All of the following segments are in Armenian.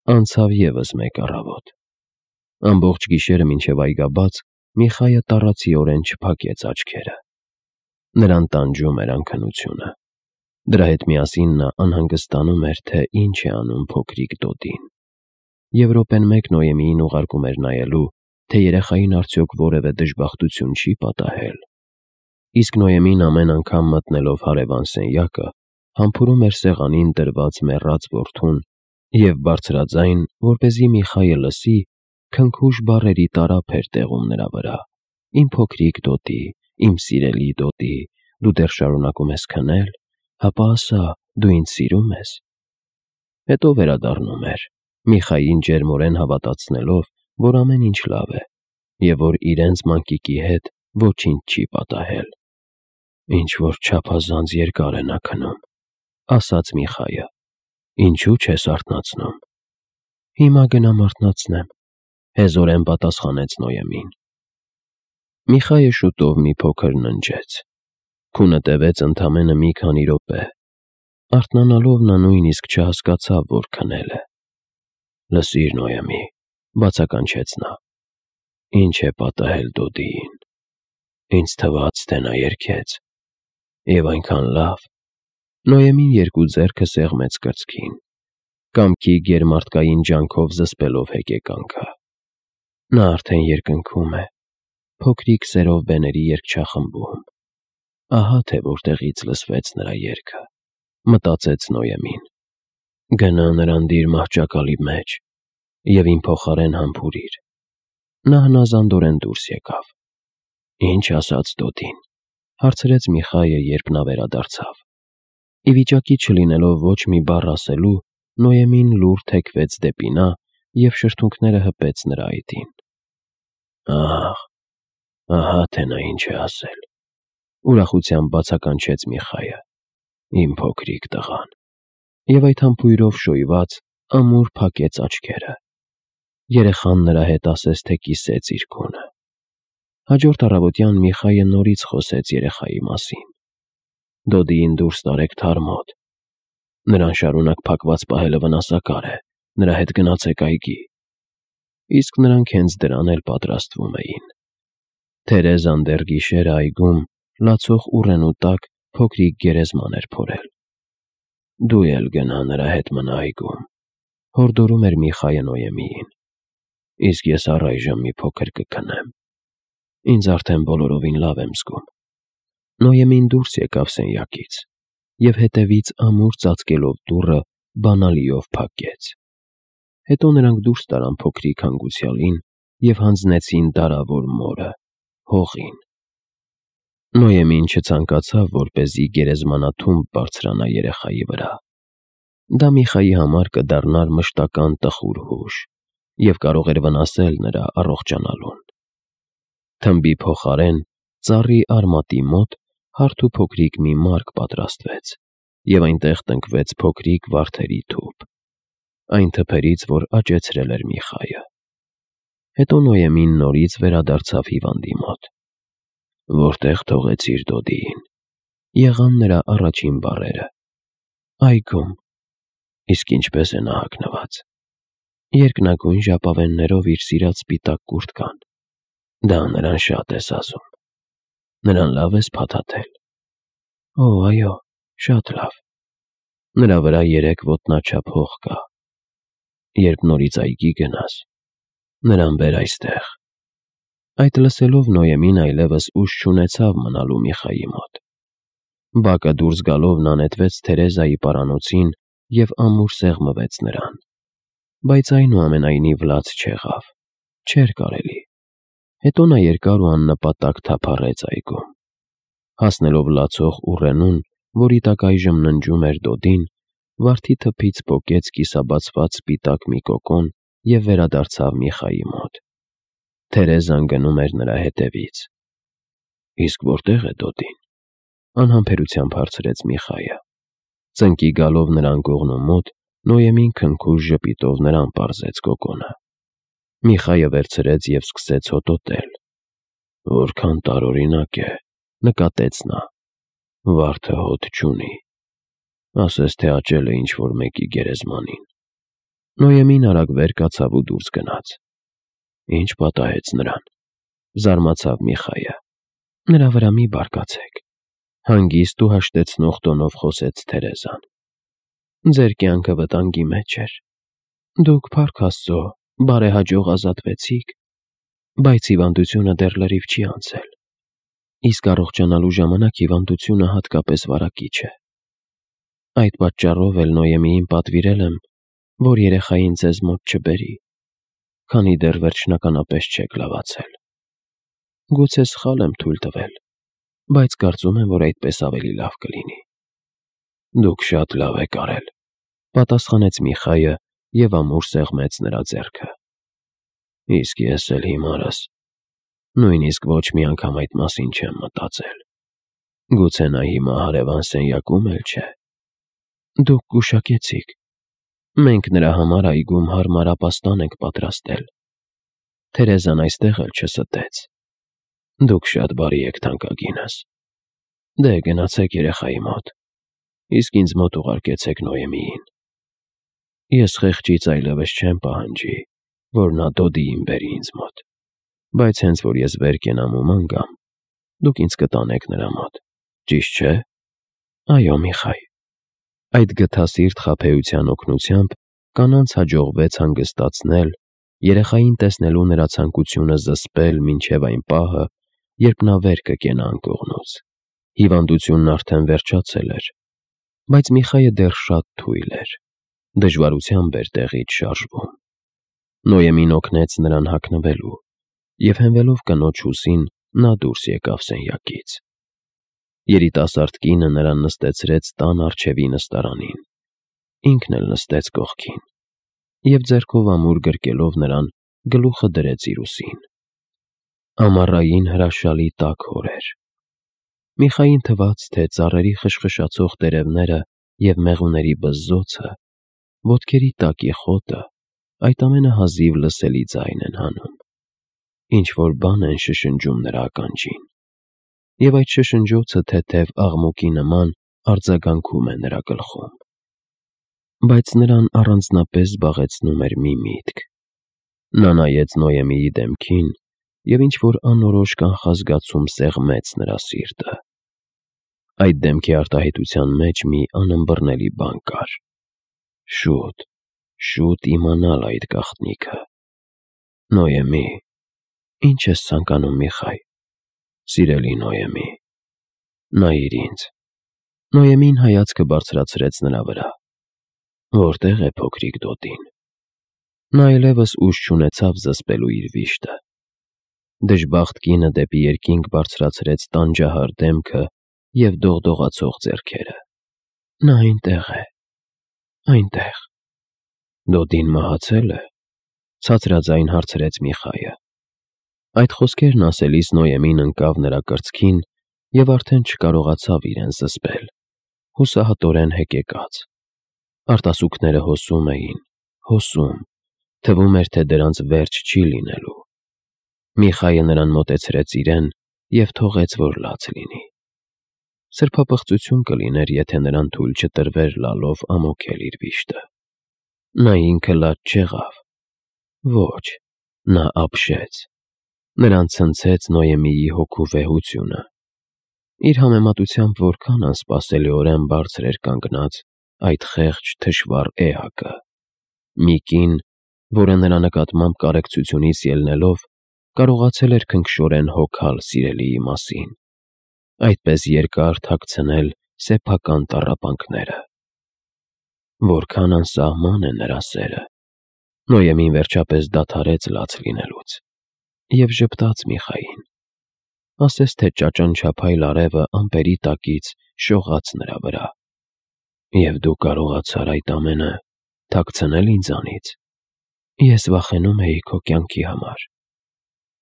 Անցավ ևս մեկ առավոտ։ Ամբողջ գիշերը մինչև այգաբաց Միխայը տառացիորեն չփակեց աչքերը։ Նրան տանջում էր անքնությունը։ Դրա հետ միասին նա անհանգստանում էր, թե ինչ է անում փոքրիկ Դոդին։ Եվ րոպեն մեկ Նոյեմիին ուղարկում էր նայելու, թե երեխային արդյոք որևէ դժբախտություն չի պատահել։ Իսկ Նոյեմին ամեն անգամ մտնելով հարևան սենյակը, համբուրում էր սեղանին դրված մեռած որդուն և բարձրաձայն, որպեսզի Միխայը լսի, քնքուշ բառերի տարափ էր տեղում նրա վրա. «Իմ փոքրիկ Դոդի, իմ սիրելի Դոդի, դու դեռ շարունակում ես քնել, հապա ասա, դու ինձ սիրում ես»։ Հետո վերադառնում էր, Միխային ջերմորեն հավատացնելով, որ ամեն ինչ լավ է, և որ իրենց մանկիկի հետ ոչինչ չի պատահել։ «Ինչ-որ չափազանց երկար է նա քնում», ասաց Միխայը։ «Ինչու՞ չես արթնացնում»։ «Հիմա գնամ արթնացնեմ», հեզորեն պատասխանեց Նոյեմին։ Միխայը շուտով մի փոքր ննջեց։ Քունը տևեց ընդամենը մի քանի րոպե։ Արթնանալով նա նույնիսկ չհասկացավ, որ քնել է։ «Լսիր, Նոյեմի», բացականչեց նա, «ինչ է պատահել Դոդիին։ Ինձ թվաց, թե նա երգեց։ Եվ այնքան լավ»։ Նոյեմին երկու ձեռքը սեղմեց կրծքին, կամքի գերմարդկային ջանքով զսպելով հեկեկանքը։ Նա արդեն երկնքում է, փոքրիկ սերով բեների երգչախմբում։ Ահա թե որտեղից լսվեց նրա երգը, մտածեց Նոյեմին։ Գնա նրան դիր մահճակալի մեջ և իմ փոխարեն համբուրիր։ Նա հնազանդորեն դուրս եկավ։ «Ինչ ասաց Դոդին»։ Հարցրեց Միխայը, երբ նա վերադարձավ։ Ի վիճակի չլինելով ոչ մի բառ ասելու, Նոյեմին լուռ թեքվեց դեպի նա և շրթունքները հպեց նրա այտին։ «Ահ, ահա թե նա ինչ է ասել», ուրախությամբ բացականչեց Միխայը, «իմ փոքրիկ տղան»։ Եվ այդ համբույրով շոյված ամուր փակեց աչքերը։ Երեխան նրա հետ ասես թե կիսեց իր քունը։ Հաջորդ առավոտյան Միխայը նորից խոսեց երեխայի մասին։ «Դոդիին դուրս տարեք թարմոտ։ Նրան շարունակ փակված պահելը վնասակար է, նրա հետ գնացեք այգի»։ Իսկ նրանք հենց դրան էլ պատրաստվում էին։ Թերեզան դեռ գիշերը այգում լացող ուռենու տակ փոքրիկ գերեզման էր փորել։ «Դու էլ գնա նրա հետ մնա այգում», հորդորում էր Միխայը Նոյեմիին։ «Իսկ ես առայժմ մի փոքր կքնեմ։ Ինձ արդեն բոլորովին լավ եմ զգում»։ Նոյեմին դուրս եկավ սենյակից և հետևից ամուր ծածկելով դուռը բանալիով փակեց։ Հետո նրանք դուրս տարան փոքրիկ հանգուցյալին և հանձնեցին դարավոր մորը՝ հողին։ Նոյեմին չցանկացավ, որպեսզի գերեզմանաթումբ բարձրանա երեխայի վրա։ Դա Միխայի համար կդառնար մշտական տխուր հուշ և կարող էր վնասել նրա առողջանալուն։ Թմբի փոխարեն ծառի արմատի մոտ հարթ ու փոքրիկ մի մարկ պատրաստվեց, և այնտեղ տնկվեց փոքրիկ վարդերի թուփ, այն թփերից, որ աճեցրել էր Միխայը։ Հետո Նոյեմին նորից վերադարձավ հիվանդի մոտ։ «Որտեղ թողեցիր Դոդիին»։ Եղան նրա առաջին բառերը։ «Այգում»։ «Իսկ ինչպե՞ս է նա հագնված»։ «Երկնագույն ժապավեններով իր սիրած սպիտակ կուրտքան»։ «Դա նրան շատ ես ասում։ Նրան լավ ես փաթաթել»։ «Օ, այո, շատ լավ»։ «Նրա վրա 3 ոտնաչափ հող կա։ Երբ նորից այգի գնաս, նրան բեր այստեղ»։ Այդ լսելով Նոյեմին այլևս ուժ չունեցավ մնալու Միխայի մոտ։ Բակը դուրս գալով նա նետվեց Թերեզայի պարանոցին և ամուր սեղմվեց նրան։ Բայց այնուամենայնիվ լաց չեղավ։ Չէր կարելի։ Հետո նա երկար ու աննպատակ թափառեց այգում։ Հասնելով լացող ուռենուն, որի տակ այժմ ննջում էր Դոդին, վարդի թփից պոկեց կիսաբացված սպիտակ մի կոկոն և վերադարձավ Միխայի մոտ։ Թերեզան գնում էր նրա հետևից։ «Իսկ որտեղ է Դոդին»։ Անհամբերությամբ հարցրեց Միխայը։ Ծնկի գալով նրան կողմնու մոտ, Նոյեմին քնքուշ ժպիտով նրան պարզեց կոկոնը։ Միխայը վերցրեց և սկսեց հոտոտել։ «Որքան տարօրինակ է», նկատեց նա։ «Վարդը հոտ չունի։ Ասես թե աճել է ինչ-որ մեկի գերեզմանին»։ Նոյեմին արագ վեր կացավ ու դուրս գնաց։ Ինչ պատահեց նրան, զարմացավ Միխայը։ Նրա վրա մի բարկացեք, հանգիստ ու հաշտեցնող տոնով խոսեց Թերեզան։ Ձեր կյանքը վտանգի մեջ էր։ Դուք, փառք Աստծո, բարեհաջող ազատվեցիք, բայց հիվանդությունը դեռ լրիվ չի անցել։ Իսկ առողջանալու ժամանակ հիվանդությունը հատկապես վարակիչ է։ Այդ պատճառով էլ Նոյեմիին պատվիրել եմ, որ երեխային ձեզ մոտ չբերի, քանի դեռ վերջնականապես չեք լավացել։ Գուցե սխալ եմ թույլ տվել, բայց կարծում եմ, որ այդպես ավելի լավ կլինի։ Դուք շատ լավ եք արել, պատասխանեց Միխայը և ամուր սեղմեց նրա ձեռքը։ Իսկ ես էլ հիմարս նույնիսկ ոչ մի անգամ այդ մասին չեմ մտածել։ Գուցե նա հիմա հարևան սենյակում էլ չէ։ Դուք գուշակեցիք։ Մենք նրա համար այգում հարմար ապաստան ենք պատրաստել։ Թերեզան այստեղ էլ չստեց։ Դուք շատ բարի եք, թանկագինս։ Դե գնացեք երեխայի մոտ, իսկ ինձ մոտ ուղարկեցեք Նոյեմիին։ Ես խեղճից այլևս չեմ պահանջի, որ նա Դոդիին բերի ինձ մոտ, բայց հենց որ ես վեր կենամ ու ման գամ, դուք ինձ կտանեք նրա մոտ, ճիշտ չէ։ Այո, Միխայ։ Այդ գթասիրտ խաբեության օգնությամբ կանանց հաջողվեց հանգստացնել, երեխային տեսնելու նրա ցանկությունը զսպել մինչև այն պահը, երբ նա վեր կկենա անկողնուց։ Հիվանդությունն արդեն վերջացել էր, բայց Միխայը դեռ շատ թույլ էր, դժվարությամբ էր տեղից շարժվում։ Նոյեմին օգնեց նրան հագնվելու, և հենվելով կնոջ ուսին, նա դուրս եկավ սենյակից։ Երիտասարդ կինը նրան նստեցրեց տան առջևի նստարանին, ինքն էլ նստեց կողքին և ձեռքով ամուր գրկելով նրան գլուխը դրեց իր ուսին։ Ամառային հրաշալի տաք օր էր։ Միխային թվաց, թե ծառերի խշխշացող տերևները և մեղուների բզզոցը, ոտքերի տակի խոտը այդ ամենը հազիվ լսելի ձայն են հանում, ինչ-որ բան են շշնջում նրա ականջին, և այդ շշնջոցը թեթև աղմուկի նման արձագանքում է նրա գլխում։ Բայց նրան առանձնապես զբաղեցնում էր մի միտք։ Նա նայեց Նոյեմիի դեմքին, և ինչ-որ անորոշ կանխազգացում սեղմեց նրա սիրտը։ Այդ դեմքի արտահայտության մեջ մի անըմբռնելի բան կար։ Շուտ իմանալ այդ գաղտնիքը։ Նոյեմի, ի՞նչ ես ցանկանում, Միխայ։ Սիրելի Նոյեմի, նայիր ինձ։ Նոյեմին հայացքը բարձրացրեց նրա վրա։ Որտե՞ղ է փոքրիկ Դոդին։ Նա այլևս ուժ չունեցավ զսպելու իր վիշտը։ Դժբախտ կինը դեպի երկինք բարձրացրեց տանջահար դեմքը և դողդողացող ձեռքերը։ Նա այնտեղ է, այնտեղ։ Դոդին մահացել է, ցածրաձայն հարցրեց Միխայը։ Այդ խոսքերն ասելիս Նոյեմին ընկավ նրա կրծքին և արդեն չկարողացավ իրեն զսպել, հուսահատորեն հեկեկաց։ Արտասուքները հոսում էին, հոսում, թվում էր, թե դրանց վերջ չի լինելու։ Միխայը նրան մոտեցրեց իրեն և թողեց, որ լաց լինի։ Սրբապղծություն կլիներ, եթե նրան թույլ չտրվեր լալով ամոքել իր վիշտը։ Նա ինքը լաց չեղավ։ Ոչ, նա ապշեց։ Նրան ցնցեց Նոյեմիի հոգու վեհությունը։ Իր համեմատությամբ որքան անսպասելիորեն բարձր էր կանգնած այդ խեղճ թշվառ էակը։ Մի կին, որը նրա նկատմամբ կարեկցությունից ելնելով, կարողացել էր քնքշորեն հոգալ սիրելիի մասին, այդպես երկար թաքցնել սեփական տառապանքները։ Որքան անսահման է նրա սերը։ Նոյեմին վերջապես դադարեց լաց լինելուց և ժպտաց Միխային։ Ասես թե ճաճանչափայլ արևը ամպերի տակից շողաց նրա վրա։ Եվ դու կարողացար այդ ամենը թաքցնել ինձանից։ Ես վախենում էի քո կյանքի համար։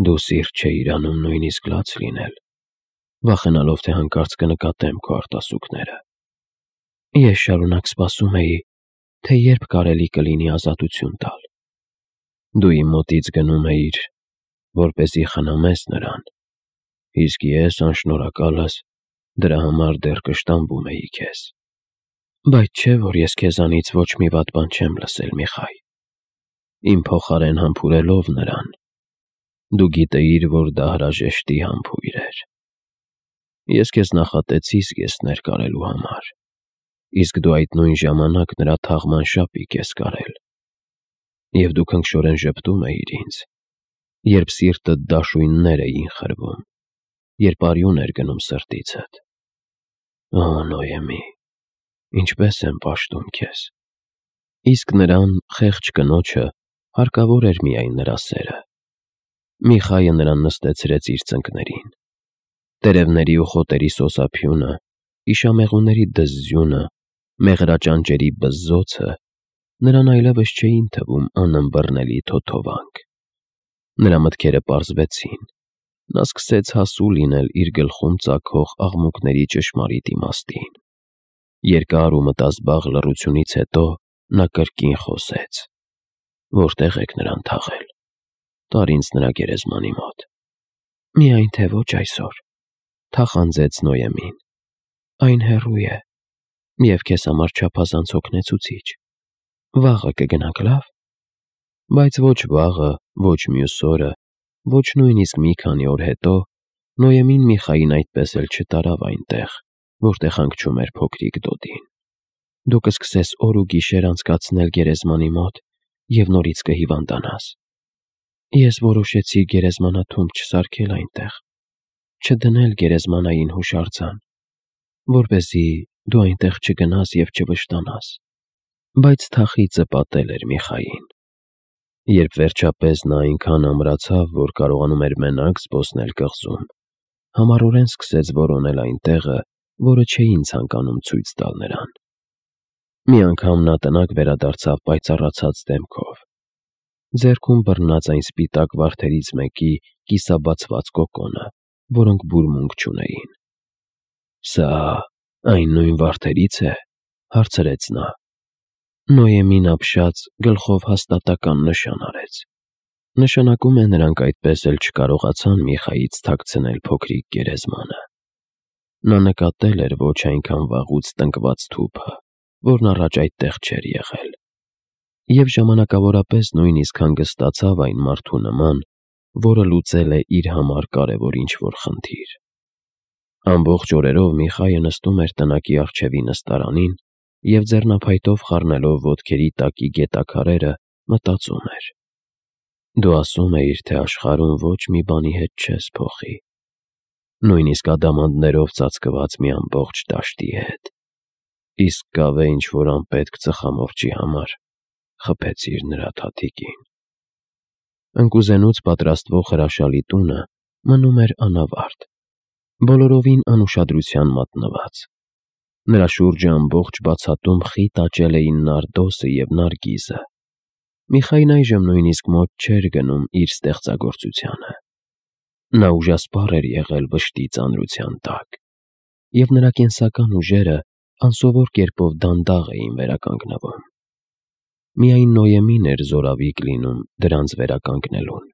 Դու սիրտ չէիր անում նույնիսկ լաց լինել, վախենալով, թե հանկարծ կնկատեմ քո արտասուքները։ Ես շարունակ սպասում էի, թե երբ կարելի կլինի ազատություն տալ։ Դու իմ մոտից գնում էիր, որպեսզի խնամես նրան, իսկ ես, անշնորհակալս, դրա համար դեռ կշտամբում էի քեզ։ Բայց չէ՞ որ ես քեզանից ոչ մի վատ բան չեմ լսել, Միխայ։ իմ փոխարեն համբուրելով նրան, դու գիտեիր, որ դա հրաժեշտի համբույր էր։ Ես քեզ նախատեցի զգեստներ կարելու համար, իսկ դու այդ նույն ժամանակ նրա թաղման շապիկ ես կարել, և դու քնքշորեն ժպտում էիր ինձ, երբ սիրտդ դաշույններ էին խրվում, երբ արյուն էր գնում սրտիցդ։ Օ, Նոյեմի, ինչպես եմ պաշտում քեզ։ Իսկ նրան, խեղճ կնոջը, հարկավոր էր միայն նրա սերը։ Միխայը նրան նստեցրեց իր ծնկներին։ Տերևների ու խոտերի սոսափյունը, իշամեղուների դզզյունը, մեղրաճանճերի բզզոցը նրան այլևս չէին թվում անըմբռնելի թոթովանք։ Նրա մտքերը պարզվեցին, նա սկսեց հասու լինել իր գլխում ծագող աղմուկների ճշմարիտ իմաստին։ Երկար ու մտազբաղ լռությունից հետո նա կրկին խոսեց. «Որտե՞ղ եք նրան թաղել։ Տար ինձ նրա գերեզմանի մոտ»։ «Միայն թե ոչ այսօր», թախանձեց Նոյեմին։ «Այն հեռու է և քեզ համար չափազանց հոգնեցուցիչ։ Վաղը կգնանք, լավ»։ Բայց ոչ վաղը, ոչ մյուս օրը, ոչ նույնիսկ մի քանի օր հետո Նոյեմին Միխային այդպես էլ չտարավ այնտեղ, որտեղ հանգչում էր փոքրիկ Դոդին։ «Դու կսկսես օր ու գիշեր անցկացնել գերեզմանի մոտ և նորից կհիվանդանաս։ Ես որոշեցի գերեզմանաթումբ չսարքել այնտեղ, չդնել գերեզմանային հուշարձան, որպեսզի դու այնտեղ չգնաս և չվշտանաս»։ Բայց թախիծը պատել էր Միխային։ Երբ վերջապես նա այնքան ամրացավ, որ կարողանում էր մենակ զբոսնել կղզում, համառորեն սկսեց որոնել այն տեղը, որը չէին ցանկանում ցույց տալ նրան։ Մի անգամ նա տնակ վերադարձավ պայծառացած դեմքով, ձեռքում բռնած այն սպիտակ վարդերից մեկի կիսաբացված կոկոնը, որոնք բուրմունք չունեին։ «Սա այն նույն վարդերից է», հարցրեց նա։ Նոյեմին ապշած գլխով հաստատական նշան արեց։ Նշանակում է նրանք այդպես էլ չկարողացան Միխայից թաքցնել փոքրիկ գերեզմանը։ Նա նկատել էր ոչ այնքան վաղուց տնկված թուփը, որն առաջ այդտեղ չէր եղել, և ժամանակավորապես նույնիսկ հանգստացավ այն մարդու նման, որը լուծել է իր համար կարևոր ինչ-որ խնդիր։ Ամբողջ օրերով Միխայը նստում էր տնակի առջևի նստարանին և ձեռնափայտով խառնելով ոտքերի տակի գետաքարերը մտածում էր. «Դու ասում էիր, թե աշխարհում ոչ մի բանի հետ չես փոխի, նույնիսկ ադամանդներով ծածկված մի ամբողջ դաշտի հետ, իսկ կավե ինչ-որ անպետք ծխամորճի համար խփեցիր նրա թաթիկին»։ Ընկուզենուց պատրաստվող հրաշալի տունը մնում էր անավարտ, բոլորովին անուշադրության մատնված։ Նրա շուրջը ամբողջ բացատում խիտ աճել էին նարդոսը և նարգիզը։ Միխային այժմ նույնիսկ մոտ չէր գնում իր ստեղծագործությանը։ Նա ուժասպառ էր եղել վշտի ծանրության տակ, և նրա կենսական ուժերը անսովոր կերպով դանդաղ էին վերականգնվում։ Միայն Նոյեմին էր զորավիկ լինում դրանց վերականգնելուն։